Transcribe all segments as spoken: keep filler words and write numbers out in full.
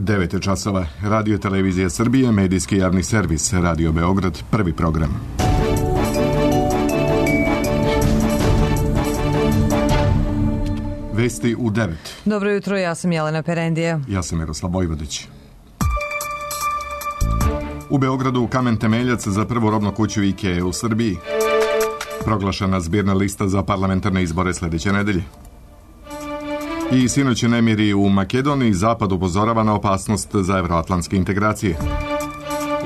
devet je časova. Radio Televizija Srbije, medijski javni servis, Radio Beograd, prvi program. Vesti u devet. Dobro jutro, ja sam Jelena Perendija. Ja sam Miroslav Vojvodić. U Beogradu kamen temeljac za prvu robnu kuću IKEA u Srbiji. Proglašena zbirna lista za parlamentarne izbore sljedeće nedelje. I sinoć nemiri u Makedoniji, Zapad upozorava na opasnost za evroatlantske integracije.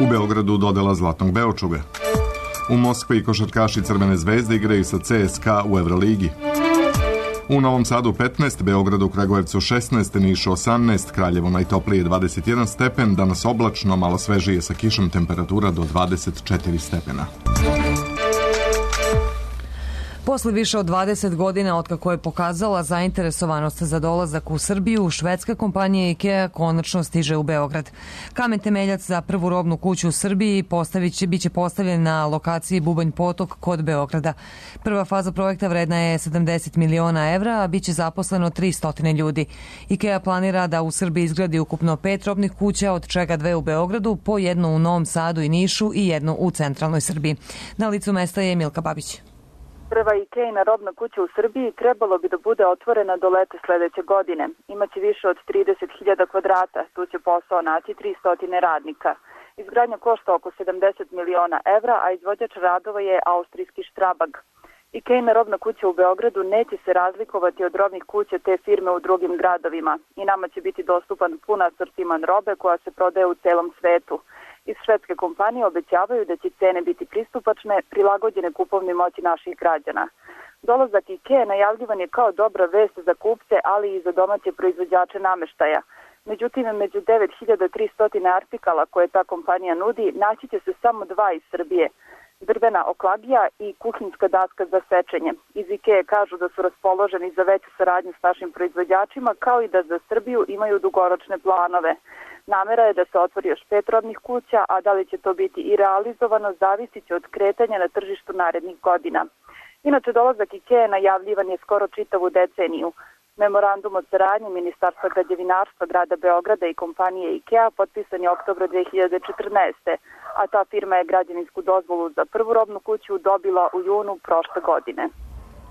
U Beogradu dodela Zlatnog Beočuga. U Moskvi košarkaši Crvene zvezde igraju sa C S K A u Evroligi. U Novom Sadu petnaest, Beogradu, Kragujevcu šesnaest, Nišu osamnaest, Kraljevo najtoplije dvadeset jedan stepen, danas oblačno, malo svežije sa kišom, temperatura do dvadeset četiri stepena. Posle više od dvadeset godina otkako je pokazala zainteresovanost za dolazak u Srbiju, švedska kompanija IKEA konačno stiže u Beograd. Kamen temeljac za prvu robnu kuću u Srbiji postavit će, biće postavljen na lokaciji Bubanj Potok kod Beograda. Prva faza projekta vredna je sedamdeset miliona evra, a biće zaposleno tristo ljudi. IKEA planira da u Srbiji izgradi ukupno pet robnih kuća, od čega dve u Beogradu, po jednu u Novom Sadu i Nišu i jednu u centralnoj Srbiji. Na licu mesta je Milka Babić. Prva IKEA-ina robna kuća u Srbiji trebalo bi da bude otvorena do leta sledeće godine. Imaće više od trideset hiljada kvadrata, tu će posao naći tristo radnika. Izgradnja košta oko sedamdeset miliona evra, a izvođač radova je austrijski Strabag. IKEA-ina robna kuća u Beogradu neće se razlikovati od robnih kuća te firme u drugim gradovima i nama će biti dostupan pun asortiman robe koja se prodaje u celom svetu. Iz švedske kompanije obećavaju da će cene biti pristupačne, prilagođene kupovnoj moći naših građana. Dolazak IKEA najavljivan je kao dobra vest za kupce, ali i za domaće proizvođače nameštaja. Međutim, među devet hiljada tristo artikala koje ta kompanija nudi, naći će se samo dva iz Srbije. Drvena oklagija i kuhinjska daska za sečenje. Iz IKEA kažu da su raspoloženi za veću saradnju s našim proizvođačima, kao i da za Srbiju imaju dugoročne planove. Namera je da se otvori još pet robnih kuća, a da li će to biti i realizovano zavisit će od kretanja na tržištu narednih godina. Inače, dolazak IKEA najavljivan je skoro čitavu deceniju. Memorandum o saradnji Ministarstva građevinarstva grada Beograda i kompanije IKEA potpisan je oktobra dve hiljade četrnaeste. a ta firma je građevinsku dozvolu za prvu robnu kuću dobila u junu prošle godine.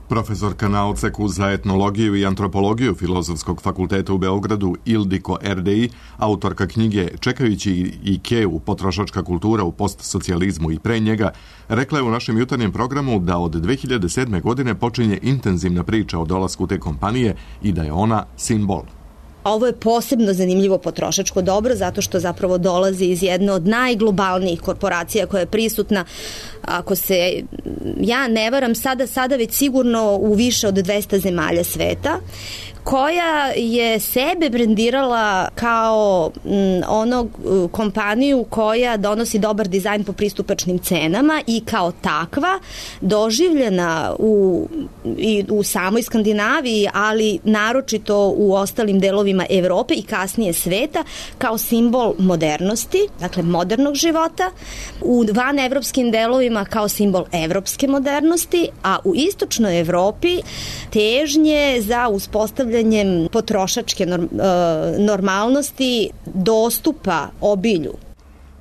Profesorka na odseku za etnologiju i antropologiju Filozofskog fakulteta u Beogradu Ildiko Erdei, autorka knjige Čekajući IKEA-u, potrošačka kultura u postsocijalizmu i pre njega, rekla je u našem jutarnjem programu da od dve hiljade sedme. godine počinje intenzivna priča o dolasku te kompanije i da je ona simbol. Ovo je posebno zanimljivo potrošačko dobro zato što zapravo dolazi iz jedne od najglobalnijih korporacija koja je prisutna, ako se ja ne varam, sada, sada već sigurno u više od dvesta zemalja sveta, koja je sebe brendirala kao m, onog kompaniju koja donosi dobar dizajn po pristupačnim cenama i kao takva doživljena u, i u samoj Skandinaviji, ali naročito u ostalim delovima Evrope i kasnije sveta kao simbol modernosti, dakle modernog života, u vanevropskim delovima kao simbol evropske modernosti, a u istočnoj Evropi težnje za uspostavljanje potrošačke normalnosti dostupa obilju.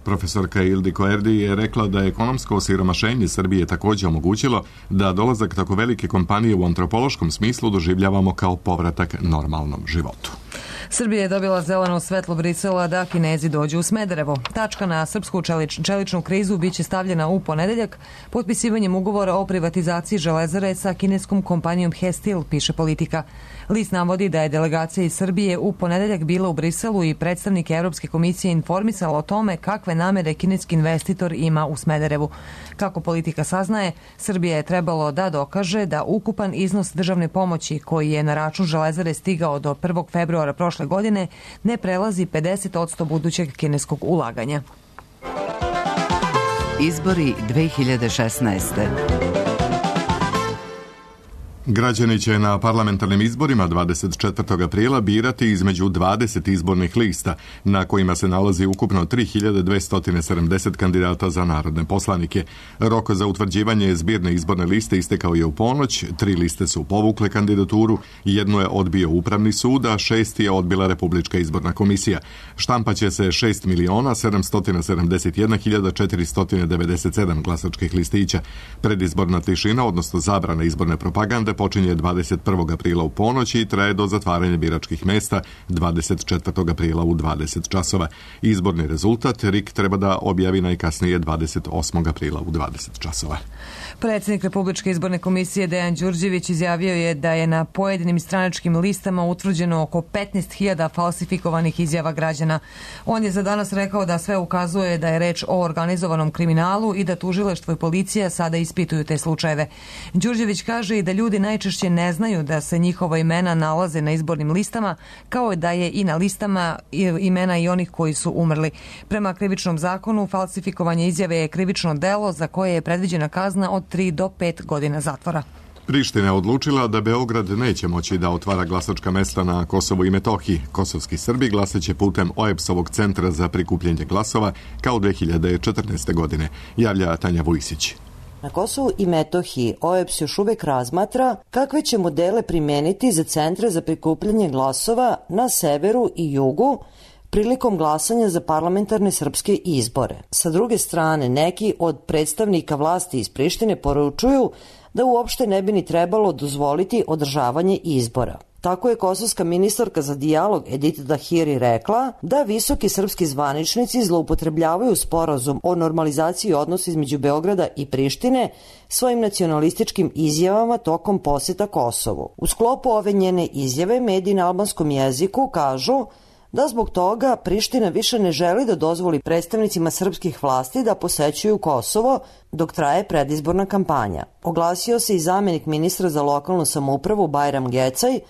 Profesorka Ildiko Erdi je rekla da je ekonomsko osiromašenje Srbije također omogućilo da dolazak tako velike kompanije u antropološkom smislu doživljavamo kao povratak normalnom životu. Srbija je dobila zeleno svetlo Brisela da Kinezi dođu u Smederevo. Tačka na srpsku čelič, čeličnu krizu biće stavljena u ponedeljak potpisivanjem ugovora o privatizaciji železare sa kineskom kompanijom Hestil, piše Politika. List navodi da je delegacija iz Srbije u ponedeljak bila u Briselu i predstavnik Evropske komisije informisala o tome kakve namere kineski investitor ima u Smederevu. Kako Politika saznaje, Srbija je trebalo da dokaže da ukupan iznos državne pomoći koji je na račun železare stigao do prvog februara prošle godine ne prelazi pedeset posto budućeg kineskog ulaganja. Izbori dve hiljade šesnaeste. Građani će na parlamentarnim izborima dvadeset četvrtog aprila birati između dvadeset izbornih lista, na kojima se nalazi ukupno tri hiljade dvesta sedamdeset kandidata za narodne poslanike. Rok za utvrđivanje zbirne izborne liste istekao je u ponoć, tri liste su povukle kandidaturu, jednu je odbio Upravni sud, a šest je odbila Republička izborna komisija. Štampaće se šest miliona sedamsto sedamdeset jedna hiljada četiristo devedeset sedam glasačkih listića. Predizborna tišina, odnosno zabrana izborne propagande, počinje dvadeset prvog aprila u ponoć i traje do zatvaranja biračkih mesta dvadeset četvrtog aprila u dvadeset časova. Izborni rezultat R I K treba da objavi najkasnije dvadeset osmog aprila u dvadeset časova. Predsjednik Republičke izborne komisije Dejan Đurđević izjavio je da je na pojedinim stranačkim listama utvrđeno oko petnaest hiljada falsifikovanih izjava građana. On je za danas rekao da sve ukazuje da je reč o organizovanom kriminalu i da tužilaštvo i policija sada ispituju te slučajeve. Đurđević kaže i da ljudi najčešće ne znaju da se njihova imena nalaze na izbornim listama, kao da je i na listama imena i onih koji su umrli. Prema krivičnom zakonu, falsifikovanje izjave je krivično delo za koje je predviđena kazna od tri do pet godina zatvora. Priština je odlučila da Beograd neće moći da otvara glasačka mesta na Kosovu i Metohiji. Kosovski Srbi glasaće putem O E B S-ovog centra za prikupljanje glasova kao dve hiljade četrnaeste. godine, javlja Tanja Vujsić. Na Kosovu i Metohiji O E B S još uvek razmatra kakve će modele primeniti za centre za prikupljanje glasova na severu i jugu prilikom glasanja za parlamentarne srpske izbore. Sa druge strane, neki od predstavnika vlasti iz Prištine poručuju da uopšte ne bi ni trebalo dozvoliti održavanje izbora. Tako je kosovska ministarka za dijalog Edita Dahiri rekla da visoki srpski zvaničnici zloupotrebljavaju sporazum o normalizaciji odnosa između Beograda i Prištine svojim nacionalističkim izjavama tokom poseta Kosovu. U sklopu ove njene izjave mediji na albanskom jeziku kažu da zbog toga Priština više ne želi da dozvoli predstavnicima srpskih vlasti da posećuju Kosovo dok traje predizborna kampanja. Oglasio se i zamenik ministra za lokalnu samoupravu Bajram Gecaj,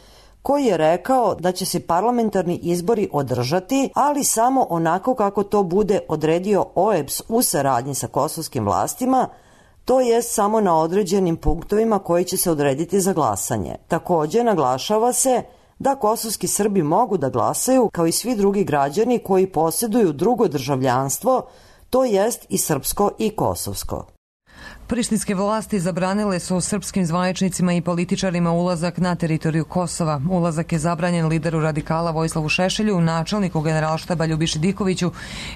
koji je rekao da će se parlamentarni izbori održati, ali samo onako kako to bude odredio O E B S u saradnji sa kosovskim vlastima, to jest samo na određenim punktovima koji će se odrediti za glasanje. Takođe, naglašava se da kosovski Srbi mogu da glasaju kao i svi drugi građani koji posjeduju drugo državljanstvo, to jest i srpsko i kosovsko. Prištinske vlasti zabranile su srpskim zvaničnicima i političarima ulazak na teritoriju Kosova. Ulazak je zabranjen lideru radikala Vojislavu Šešelju, načelniku generalštaba Ljubiši Dikoviću,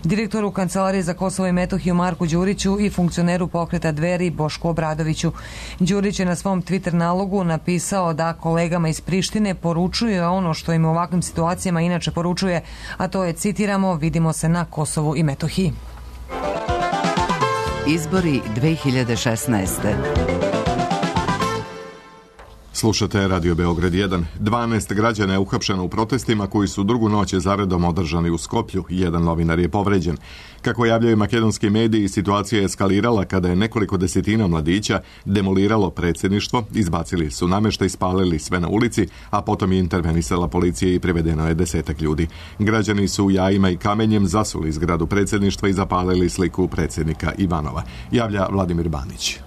direktoru Kancelarije za Kosovo i Metohiju Marku Đuriću i funkcioneru pokreta Dveri Bošku Obradoviću. Đurić je na svom Twitter nalogu napisao da kolegama iz Prištine poručuje ono što im u ovakvim situacijama inače poručuje, a to je, citiramo, vidimo se na Kosovu i Metohiji. Izbori dve hiljade šesnaeste. Slušate Radio Beograd jedan. dvanaest građana je uhapšeno u protestima koji su drugu noć zaredom održani u Skoplju. Jedan novinar je povređen. Kako javljaju makedonski mediji, situacija je eskalirala kada je nekoliko desetina mladića demoliralo predsjedništvo, izbacili su nameštaj, spalili sve na ulici, a potom je intervenisala policija i privedeno je desetak ljudi. Građani su jajima i kamenjem zasuli zgradu predsjedništva i zapalili sliku predsjednika Ivanova, javlja Vladimir Banić.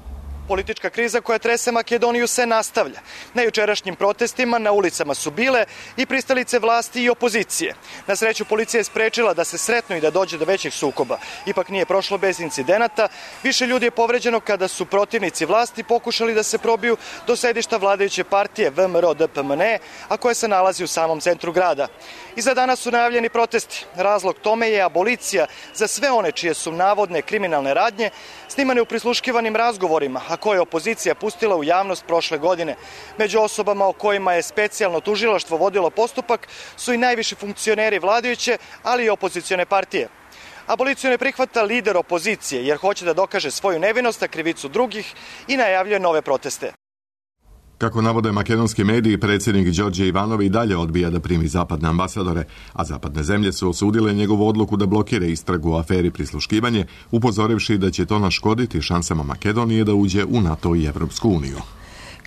Politička kriza koja trese Makedoniju se nastavlja. Na jučerašnjim protestima na ulicama su bile i pristalice vlasti i opozicije. Na sreću policija je sprečila da se sretnu i da dođe do većih sukoba. Ipak nije prošlo bez incidenata. Više ljudi je povređeno kada su protivnici vlasti pokušali da se probiju do sedišta vladajuće partije V M R O D P M N E, a koje se nalazi u samom centru grada. I za danas su najavljeni protesti. Razlog tome je abolicija za sve one čije su navodne kriminalne radnje snimane u prisluškivanim razgovorima, a koje je opozicija pustila u javnost prošle godine. Među osobama o kojima je specijalno tužilaštvo vodilo postupak su i najviši funkcioneri vladajuće, ali i opozicione partije. Aboliciju ne prihvata lider opozicije jer hoće da dokaže svoju nevinost, a krivicu drugih i najavljuje nove proteste. Kako navode makedonski mediji, predsjednik Đorđe Ivanov i dalje odbija da primi zapadne ambasadore, a zapadne zemlje su osudile njegovu odluku da blokira istragu u aferi prisluškivanje, upozorivši da će to naškoditi šansama Makedonije da uđe u NATO i Evropsku uniju.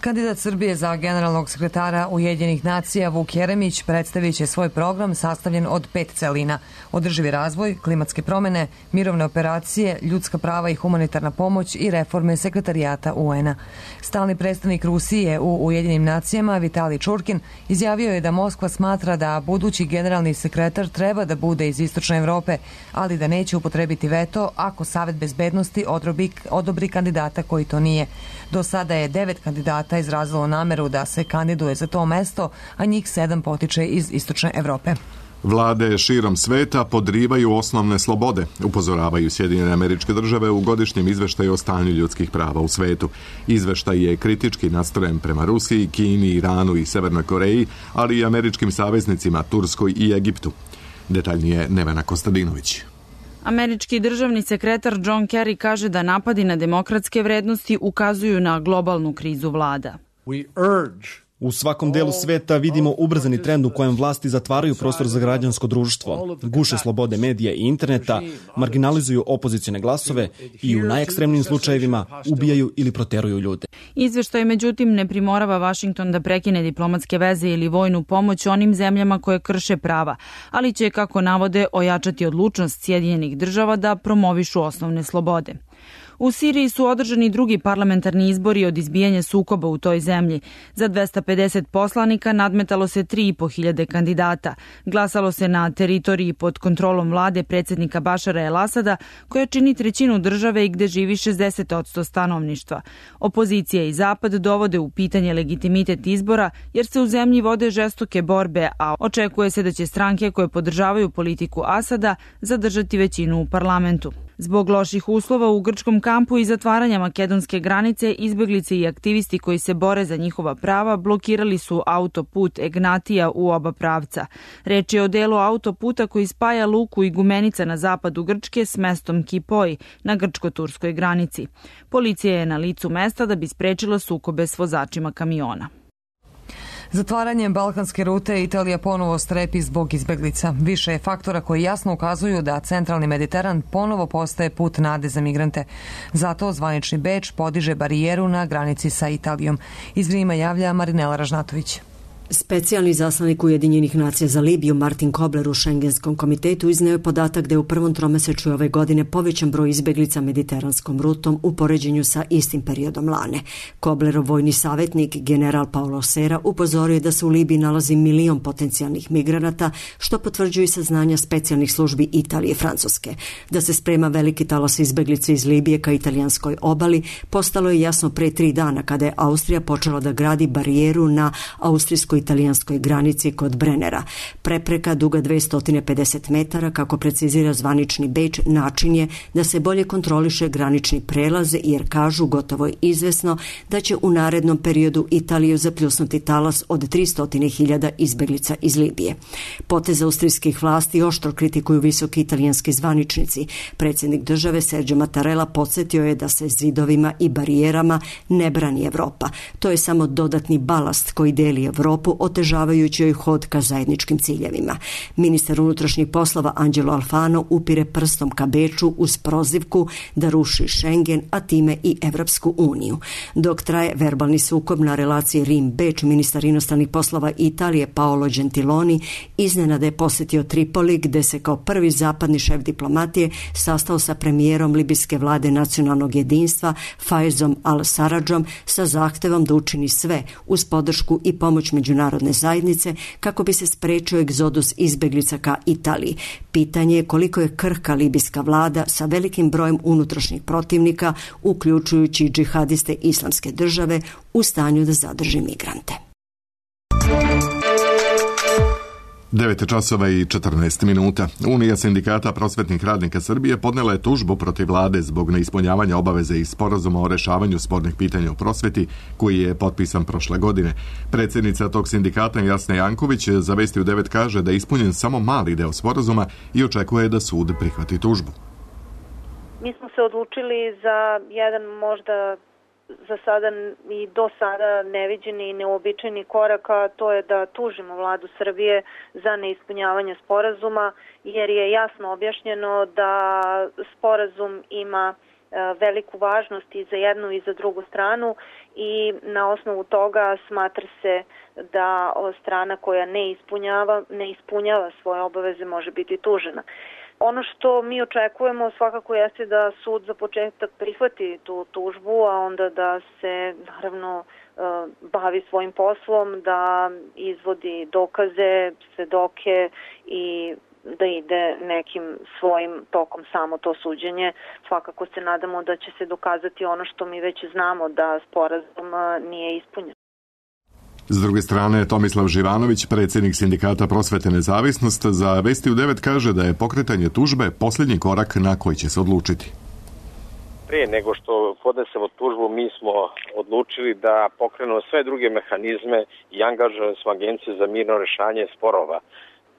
Kandidat Srbije za generalnog sekretara Ujedinjenih nacija Vuk Jeremić predstavit će svoj program sastavljen od pet celina: održivi razvoj, klimatske promene, mirovne operacije, ljudska prava i humanitarna pomoć i reforme sekretarijata U N-a. Stalni predstavnik Rusije u Ujedinjenim nacijama Vitali Čurkin izjavio je da Moskva smatra da budući generalni sekretar treba da bude iz Istočne Evrope, ali da neće upotrebiti veto ako Savet bezbednosti odobri, odobri kandidata koji to nije. Do sada je devet kandidata izrazilo nameru da se kandiduje za to mesto, a njih sedam potiče iz Istočne Evrope. Vlade širom sveta podrivaju osnovne slobode, upozoravaju Sjedinjene Američke Države u godišnjem izveštaju o stanju ljudskih prava u svetu. Izveštaj je kritički nastrojen prema Rusiji, Kini, Iranu i Severnoj Koreji, ali i američkim saveznicima Turskoj i Egiptu. Detaljnije Nevena Kostadinović. Američki državni sekretar John Kerry kaže da napadi na demokratske vrednosti ukazuju na globalnu krizu vlada. U svakom delu sveta vidimo ubrzani trend u kojem vlasti zatvaraju prostor za građansko društvo, guše slobode medija i interneta, marginalizuju opozicione glasove i u najekstremnijim slučajevima ubijaju ili proteruju ljude. Izveštaj međutim ne primorava Vašington da prekine diplomatske veze ili vojnu pomoć onim zemljama koje krše prava, ali će, kako navode, ojačati odlučnost Sjedinjenih država da promovišu osnovne slobode. U Siriji su održani drugi parlamentarni izbori od izbijanja sukoba u toj zemlji. Za dvesta pedeset poslanika nadmetalo se tri i po hiljade kandidata. Glasalo se na teritoriji pod kontrolom vlade predsjednika Bašara El Asada, koja čini trećinu države i gde živi šezdeset posto stanovništva. Opozicija i Zapad dovode u pitanje legitimitet izbora, jer se u zemlji vode žestoke borbe, a očekuje se da će stranke koje podržavaju politiku Asada zadržati većinu u parlamentu. Zbog loših uslova u grčkom kampu i zatvaranja makedonske granice, izbeglice i aktivisti koji se bore za njihova prava blokirali su autoput Egnatija u oba pravca. Reč je o delu autoputa koji spaja luku Igumenica na zapadu Grčke s mestom Kipoj na grčko-turskoj granici. Policija je na licu mesta da bi sprečila sukobe s vozačima kamiona. Zatvaranjem balkanske rute Italija ponovo strepi zbog izbeglica. Više je faktora koji jasno ukazuju da centralni Mediteran ponovo postaje put nade za migrante. Zato zvanični Beč podiže barijeru na granici sa Italijom. Iz Rima javlja Marinela Ražnatović. Specijalni zaslanik Ujedinjenih nacija za Libiju Martin Kobler u Šengenskom komitetu izneo je podatak da je u prvom tromesečju ove godine povećan broj izbeglica mediteranskom rutom u poređenju sa istim periodom lane. Koblerov vojni savjetnik general Paolo Sera upozorio je da se u Libiji nalazi milion potencijalnih migranata, što potvrđuju saznanja specijalnih službi Italije i Francuske. Da se sprema veliki talas izbeglica iz Libije ka italijanskoj obali postalo je jasno pre tri dana kada je Austrija počela da gradi barijeru na austrijskoj italijanskoj granici kod Brennera. Prepreka duga dvesta pedeset metara, kako precizira zvanični Beč, način je da se bolje kontroliše granični prelaz, jer kažu gotovo je izvesno da će u narednom periodu Italiju zapljusnuti talas od tristo hiljada izbeglica iz Libije. Potez austrijskih vlasti oštro kritikuju visoki italijanski zvaničnici. Predsjednik države Sergio Mattarella podsjetio je da se zidovima i barijerama ne brani Evropa. To je samo dodatni balast koji deli Evropu, otežavajući joj hod ka zajedničkim ciljevima. Ministar unutrašnjih poslova Angelo Alfano upire prstom ka Beču uz prozivku da ruši Schengen, a time i Evropsku uniju. Dok traje verbalni sukob na relaciji Rim-Beč, ministar inostranih poslova Italije Paolo Gentiloni iznenada je posjetio Tripoli, gde se kao prvi zapadni šef diplomatije sastao sa premijerom libijske vlade nacionalnog jedinstva Faezom al-Saradžom sa zahtevom da učini sve uz podršku i pomoć međunarodne zajednice kako bi se sprečio egzodus izbeglica ka Italiji. Pitanje je koliko je krhka libijska vlada sa velikim brojem unutrašnjih protivnika, uključujući džihadiste Islamske države, u stanju da zadrži migrante. devet časova i četrnaest minuta. Unija sindikata prosvetnih radnika Srbije podnela je tužbu protiv vlade zbog neispunjavanja obaveze iz sporazuma o rešavanju spornih pitanja u prosveti, koji je potpisan prošle godine. Predsjednica tog sindikata Jasna Janković za Vesti u devet kaže da je ispunjen samo mali deo sporazuma i očekuje da sud prihvati tužbu. Mi smo se odlučili za jedan možda za sada i do sada neviđeni i neobičajni korak, a to je da tužimo vladu Srbije za neispunjavanje sporazuma, jer je jasno objašnjeno da sporazum ima veliku važnost i za jednu i za drugu stranu i na osnovu toga smatra se da strana koja ne ispunjava, ne ispunjava svoje obaveze može biti tužena. Ono što mi očekujemo svakako jeste da sud za početak prihvati tu tužbu, a onda da se naravno bavi svojim poslom, da izvodi dokaze, svedoke i da ide nekim svojim tokom samo to suđenje. Svakako se nadamo da će se dokazati ono što mi već znamo, da sporazum nije ispunjen. S druge strane, Tomislav Živanović, predsjednik Sindikata prosvete Nezavisnost, za Vesti u devet kaže da je pokretanje tužbe posljednji korak na koji će se odlučiti. Prije nego što podnesemo tužbu, mi smo odlučili da pokrenemo sve druge mehanizme i angažovali smo Agenciju za mirno rešavanje sporova.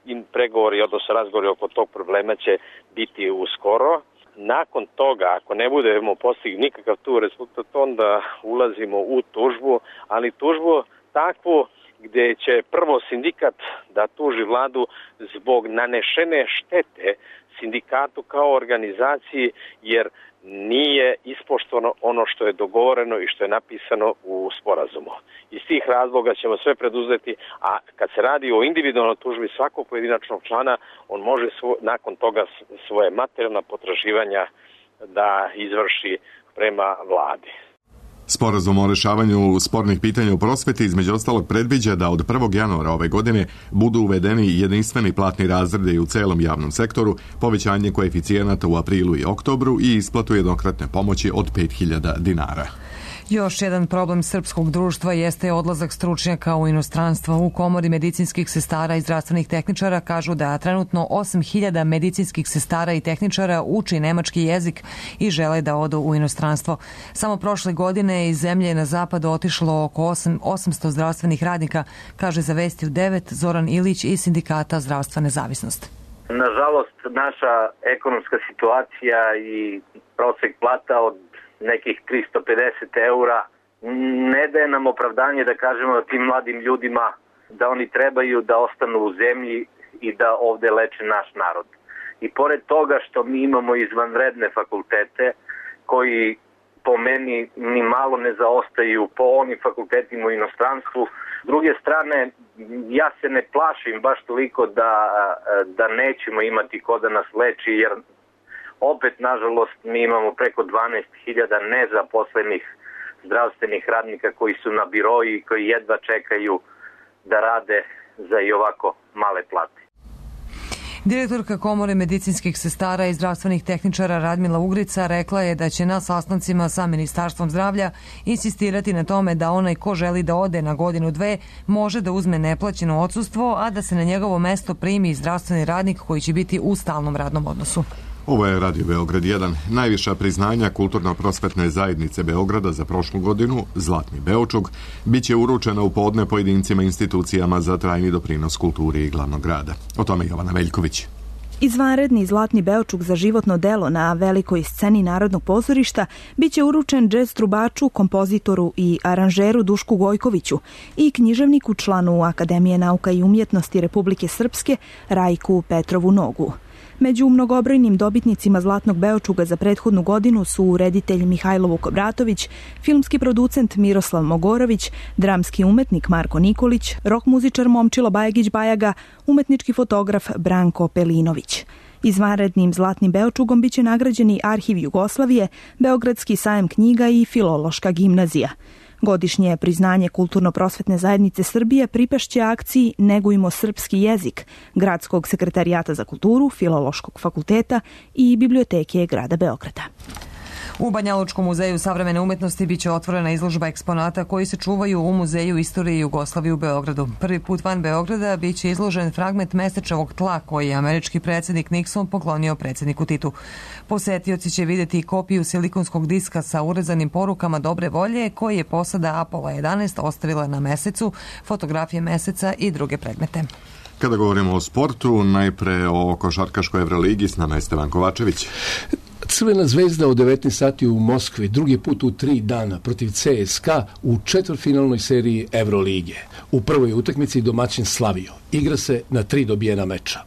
I pregovori, odnosno razgovori oko tog problema će biti uskoro. Nakon toga, ako ne budemo postigli nikakav tu rezultat, onda ulazimo u tužbu, ali tužbu takvu gdje će prvo sindikat da tuži vladu zbog nanešene štete sindikatu kao organizaciji, jer nije ispoštovano ono što je dogovoreno i što je napisano u sporazumu. Iz tih razloga ćemo sve preduzeti, a kad se radi o individualnoj tužbi svakog pojedinačnog člana, on može svo, nakon toga svoje materijalna potraživanja da izvrši prema vladi. Sporazum o rešavanju spornih pitanja u prosveti između ostalog predviđa da od prvog januara ove godine budu uvedeni jedinstveni platni razredi u celom javnom sektoru, povećanje koeficijenata u aprilu i oktobru i isplatu jednokratne pomoći od pet hiljada dinara. Još jedan problem srpskog društva jeste odlazak stručnjaka u inostranstvo. U Komori medicinskih sestara i zdravstvenih tehničara kažu da trenutno osam hiljada medicinskih sestara i tehničara uči nemački jezik i žele da odu u inostranstvo. Samo prošle godine iz zemlje na zapadu otišlo oko osamsto zdravstvenih radnika, kaže za Vesti u devet Zoran Ilić iz Sindikata Zdravstva Nezavisnost. Nažalost, naša ekonomska situacija i prosek plata od nekih tristo pedeset eura ne daje nam opravdanje da kažemo da tim mladim ljudima da oni trebaju da ostanu u zemlji i da ovde leče naš narod. I pored toga što mi imamo izvanredne fakultete koji po meni ni malo ne zaostaju po onim fakultetima u inostranstvu, s druge strane ja se ne plašim baš toliko da, da nećemo imati ko da nas leči, jer opet, nažalost, mi imamo preko dvanaest hiljada nezaposlenih zdravstvenih radnika koji su na biroji i koji jedva čekaju da rade za i ovako male plate. Direktorka Komore medicinskih sestara i zdravstvenih tehničara Radmila Ugrica rekla je da će na sastancima sa Ministarstvom zdravlja insistirati na tome da onaj ko želi da ode na godinu dve može da uzme neplaćeno odsustvo, a da se na njegovo mesto primi zdravstveni radnik koji će biti u stalnom radnom odnosu. Ovo je Radio Beograd jedan. Najviša priznanja Kulturno-prosvetne zajednice Beograda za prošlu godinu, Zlatni Beočuk, bit će uručena u podne pojedincima i institucijama za trajni doprinos kulturi i glavnog grada. O tome Jovana Veljković. Izvanredni Zlatni Beočuk za životno delo na velikoj sceni Narodnog pozorišta biće uručen džez trubaču, kompozitoru i aranžeru Dušku Gojkoviću i književniku, članu Akademije nauka i umjetnosti Republike Srpske Rajku Petrovu Nogu. Među mnogobrojnim dobitnicima Zlatnog Beočuga za prethodnu godinu su reditelj Mihajlo Vukobratović, filmski producent Miroslav Mogorović, dramski umetnik Marko Nikolić, rok muzičar Momčilo Bajagić Bajaga, umetnički fotograf Branko Pelinović. Izvanrednim Zlatnim Beočugom biće nagrađeni Arhiv Jugoslavije, Beogradski sajam knjiga i Filološka gimnazija. Godišnje priznanje Kulturno-prosvetne zajednice Srbije pripašće akciji Negujmo srpski jezik, Gradskog sekretarijata za kulturu, Filološkog fakulteta i Biblioteke grada Beograda. U Banjalučkom muzeju savremene umetnosti biće otvorena izložba eksponata koji se čuvaju u Muzeju istorije Jugoslavije u Beogradu. Prvi put van Beograda biće izložen fragment mesečevog tla koji je američki predsjednik Nixon poklonio predsjedniku Titu. Posetioci će vidjeti kopiju silikonskog diska sa urezanim porukama dobre volje koji je posada Apollo jedanaest ostavila na mesecu, fotografije meseca i druge predmete. Kada govorimo o sportu, najpre o košarkaškoj Evroligi, s nama je Stevan Kovačević. Crvena zvezda od devetnaest sati u Moskvi, drugi put u tri dana protiv C S K A u četvrtfinalnoj seriji Evrolige. U prvoj utakmici domaćin slavio. Igra se na tri dobijena meča.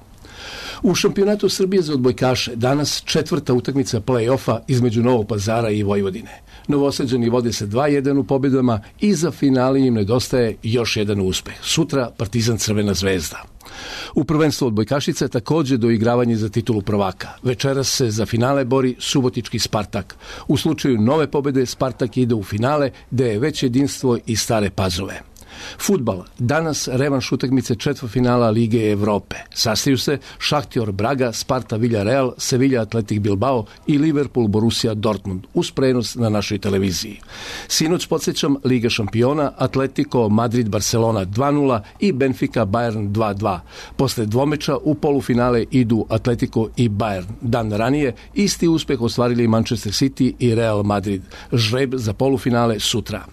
U šampionatu Srbije za odbojkaše danas četvrta utakmica play-offa između Novog Pazara i Vojvodine. Novosađani vode se dva jedan u pobjedama i za finale im nedostaje još jedan uspeh. Sutra Partizan Crvena zvezda. U prvenstvu odbojkašica također doigravanje za titulu prvaka. Večeras se za finale bori subotički Spartak. U slučaju nove pobjede Spartak ide u finale gde je već jedinstvo i Stare Pazove. Fudbal. Danas revanš utakmice četvrtfinala Lige Evrope. Sastaju se Šahtjor Braga, Sparta Villarreal, Sevilla Atletik Bilbao i Liverpool Borussia Dortmund uz prenos na našoj televiziji. Sinoć podsjećam Liga šampiona, Atletico Madrid Barcelona dva nula i Benfica Bayern dva dva. Posle dvomeča u polufinale idu Atletico i Bayern. Dan ranije isti uspeh ostvarili Manchester City i Real Madrid. Žreb za polufinale sutra.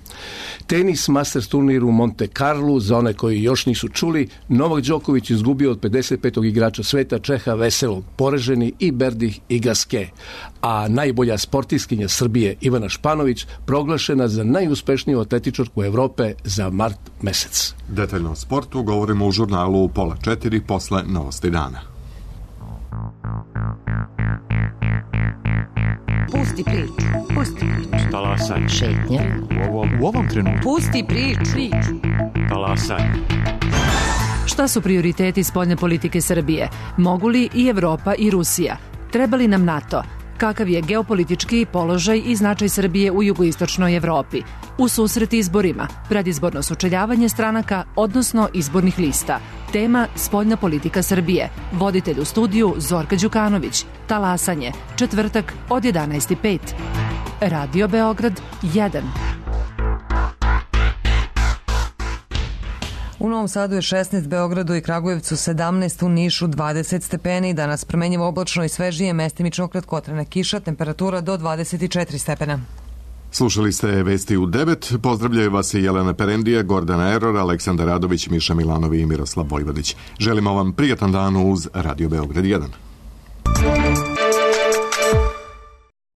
Tenis Masters turnir u Monte Carlo, za one koji još nisu čuli, Novak Đoković izgubio od pedeset petog igrača sveta Čeha Veselog, Poreženi i Berdih i Gaske, a najbolja sportiskinja Srbije Ivana Španović proglašena za najuspešniju atletičarku Evrope za mart mesec. Detaljno o sportu govorimo u žurnalu pola četiri posle novosti dana. Pusti priču, pusti priču. Talasaj. Šetnja. U ovom, u ovom trenutku. Pusti priču. Talasaj. Šta su prioriteti spoljne politike Srbije? Mogu li i Evropa i Rusija? Treba li nam NATO? Kakav je geopolitički položaj i značaj Srbije u jugoistočnoj Evropi? U susret izborima, predizborno sučeljavanje stranaka, odnosno izbornih lista. Tema spoljna politika Srbije. Voditelj u studiju Zorka Đukanović. Talasanje. Četvrtak od jedanaest i pet. Radio Beograd jedan. U Novom Sadu je šesnaest, Beogradu i Kragujevcu sedamnaest, u Nišu dvadeset stepeni, danas promenjivo oblačno i svežije, mestimično kratkotrajna kiša, temperatura do dvadeset četiri stepena. Slušali ste vesti u devet, pozdravljaju vas i Jelena Perendija, Gordana Eror, Aleksandar Radović, Miša Milanovi i Miroslav Vojvodić. Želimo vam prijatan dan uz Radio Beograd jedan.